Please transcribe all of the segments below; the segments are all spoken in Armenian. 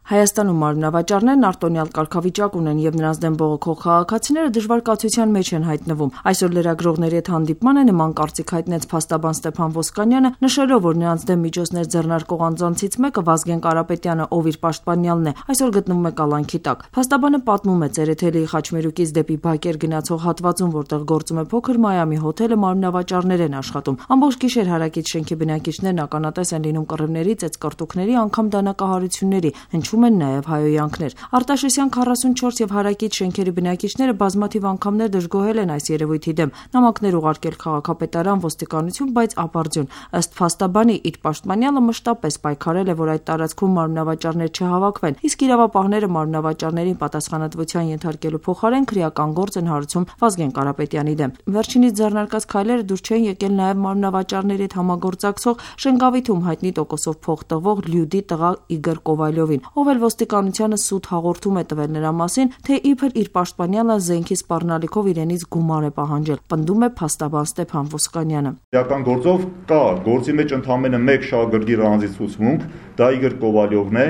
Հայաստանում մարմնավաճառներն արտոնյալ կարգավիճակ ունեն եւ նրանց դեմ բողոքող քաղաքացիները դժվար կացության մեջ են հայտնվում։ Այսօր լրագրողների հետ հանդիպման է նման կարծիք հայտնեց փաստաբան Ստեփան Ոսկանյանը, նշելով, որ նրանց դեմ միջոցներ ձեռնարկող անձանցից մեկը Վազգեն Կարապետյանը, ով իր պաշտպանյալն է, այսօր գտնվում է կալանքի տակ։ Փաստաբանը պատմում է Ծերեթելիի Խաչմերուկից դեպի Բակեր գնացող հատվածում, որտեղ գործում է փոքր Մայամի հոթելը, մարմնավաճառներ են աշխատում։ Ամբողջ գիշեր հարակից շենքի բնակիչներն ականատես են լինում կռիվների, ծեծկռտուքների, անգամ դանակահարությունների, հնչում են նաև հայոյանքներ։ Արտաշեսյան 44 եւ հարակից շենքերի բնակիչները բազմաթիվ անգամներ դժգոհել են այս երևույթի դեմ, նամակներ ուղարկել քաղաքապետարան, ոստիկանություն, բայց ապարդյուն։ Ըստ փաստաբանի, իր պաշտպանյալը մշտապես պայքարել է, որ այդ տարածքում մարմնավաճառներ չհավաքվեն, իսկ իրավապահները մարմնավաճառներին պատասխանատվության ենթարկելու փոխարեն քրեական գործ են հարուցում Վազգեն Կարապետյանի դեմ։ Վերջինիս ձեռնարկած քայլերը դուր չեն եկել նաև մարմնավաճառների հետ համագործակցող Շենգավիթում հայտնի տոկոսով փող տվող Լյուդի տղա Իգոր Կովալյովին, ով էլ ոստիկանությանը սուտ հաղորդում է տվել նրա մասին, թե իբր իր պաշտպանյալը զենքի սպառնալիքով իրենից գումար է պահանջել, պնդում է փաստաբան Ստեփան Ոսկանյանը։ Իրական գործով կա գործի մեջ ընդամենը մեկ շահագրգիռ անձի ցուցմունք, դա Իգոր Կովալյովն է,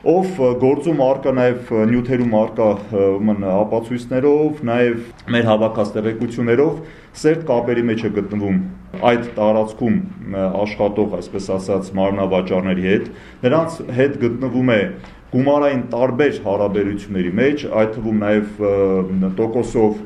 ով գործում արկա նաև նյութերում արկա ապացույցներով, նաև մեր հավաքած տեղեկություններով սերտ կապերի մեջ է գտնվում այդ տարածքում աշխատող, այսպես ասած, մարմնավաճառների հետ, նրանց հետ գտնվում է գումարային տարբեր հարաբերությունների մեջ, այդ թվում նաև տոկոսով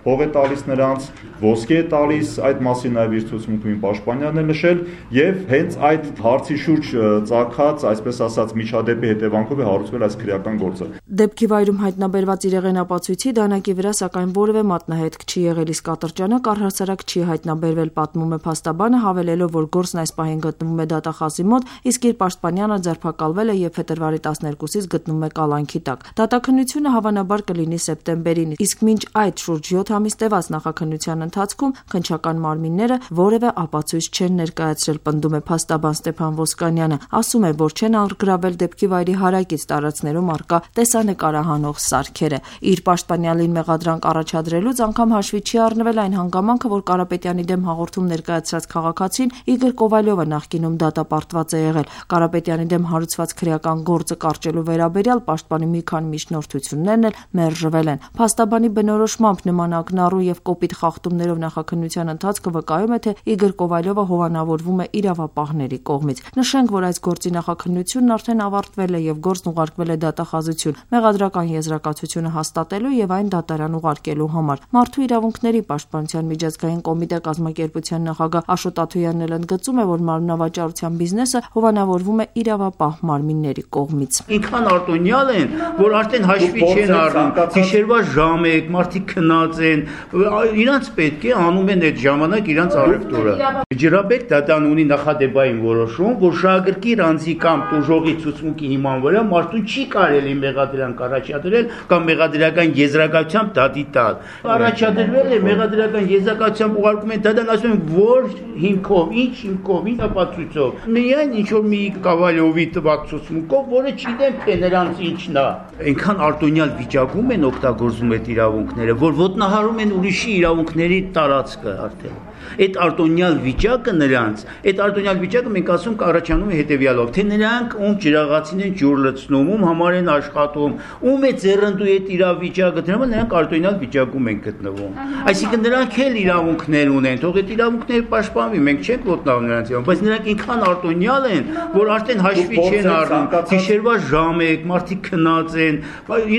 փող է տալիս նրանց, ոսկի է տալիս, այդ մասին նաև իր ցուցմունքում պաշտպանյանն է նշել, եւ հենց այդ հարցի շուրջ ծագած, այսպես ասած, միջադեպի հետևանքով է հարուցվել այս քրեական գործը։ Դեպքի վայրում հայտնաբերված իրեղեն ապացույցի դանակի վրա սակայն որևէ մատնահետք չի եղել, իսկ կատարճանակ առհասարակ չի հայտնաբերվել, պատմում է փաստաբանը, հավելելով, որ գործն այս պահին գտնվում է դատախազի մոտ, իսկ իր պաշտպանյանը ձերբակալվել է եւ փետրվարի 12-ից գտնվում է կալանքի տակ։ Դատաքննությունը հավանաբար կլինի սեպտեմբերին, իսկ մինչ այդ շուրջ 7 ամիս տևած նախաքննության ընթացքում քննչական մարմինները որևէ ապացույց չեն ներկայացրել, պնդում է փաստաբան Ստեփան Ոսկանյանը, ասում է, որ չեն արգրավել դեպքի վայրի հարակից տարածքներում արկա տեսանկարահանող սարքերը։ Իր պաշտպանյալին մեղադրանք առաջադրելուց անգամ հաշվի չի առնվել այն հանգամանքը, որ Կարապետյանի դեմ հաղորդում ներկայացրած քաղաքացին Իգոր Կովալյովը նախկինում դատապարտված է եղել։ Կարապետյանի դեմ հարուցված քրեական գործը կարճելու վերաբերյալ պաշտպանի մի քանի միջնորդություններն էլ մերժվել են։ Փաստաբանի բնորոշմամբ նման ակնառու եւ կոպիտ խախտումներով նախաքննության ընթացքը վկայում է, թե Իգոր Կովալյովը հովանավորվում է իրավապահների կողմից։ Նշենք, որ այս գործի նախաքննությունն արդեն ավարտվել է եւ գործն ուղարկվել է դատախազություն մեղադրական եզրակացությունը հաստատելու եւ այն դատարան ուղարկելու համար։ Մարդու իրավունքների պաշտպանության միջազգային կոմիտե կազմակերպության նախագահ Աշոտ Աթոյանն էլ ընդգծում է, որ մարմնավաճառության բիզնեսը հովանավորվում է իրավապահ մարմինների կողմից։ Ինքան արտոնյալ են, որ արդեն հաշվի չեն առնում, գիշերվա ժամ է, մարդիկ քնած են, իրանց պետք է անում են այդ ժամանակ իրանց առևտուրը։ Ջրաբեկ դատան ունի նախադեպային որոշում, որ շահագրգիռ անձի կամ տուժողի ցուցմունքի հիման վրա մարդուն չի կարելի մեղադրանք առաջադրել կամ մեղադրական եզրակացությամբ դատի տալ։ Առաջադրվել է մեղադրական եզրակացությամբ ուղարկում են դատան, ասում են, որ հիմքով, ինչ հիմքով, ինչ ապացույցով։ Միայն ինչ որ մի Կովալյովի տված ցուցմունքով, որը չգիտեմ թե նրանց ինչն է։ Այնքան արտոնյալ վիճակում են օգտագործում այդ իրավունքները, որ ոտնահարում են ուրիշի իրավունքների տարածքը արդեն։ Այդ արտոնյալ վիճակը նրանց, այդ արտոնյալ վիճակը մենք ասում կառաջանում է հետևյալով, թե նրանք ում ջրաղացին են ջուր լցնում, ում համար են աշխատում, ում է ձեռնդու այդ իրավիճակը, դրա համար նրանք արտոնյալ վիճակում են գտնվում։ Այսինքն նրանք էլ իրավունքներ ունեն, թող այդ իրավունքները պաշտպանվի, մենք չենք ոտնահարում նրանց իրավունք, բայց նրանք ինքան արտոնյալ են, որ արդեն հաշվի չեն առնում, գիշերվա ժամ է, մարդիկ քնած են,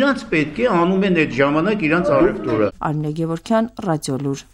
իրանց պետք է անում են այդ ժամանակ իրանց առևտուրը։ Արմինե Գևորգյան, Ռադիոլուր։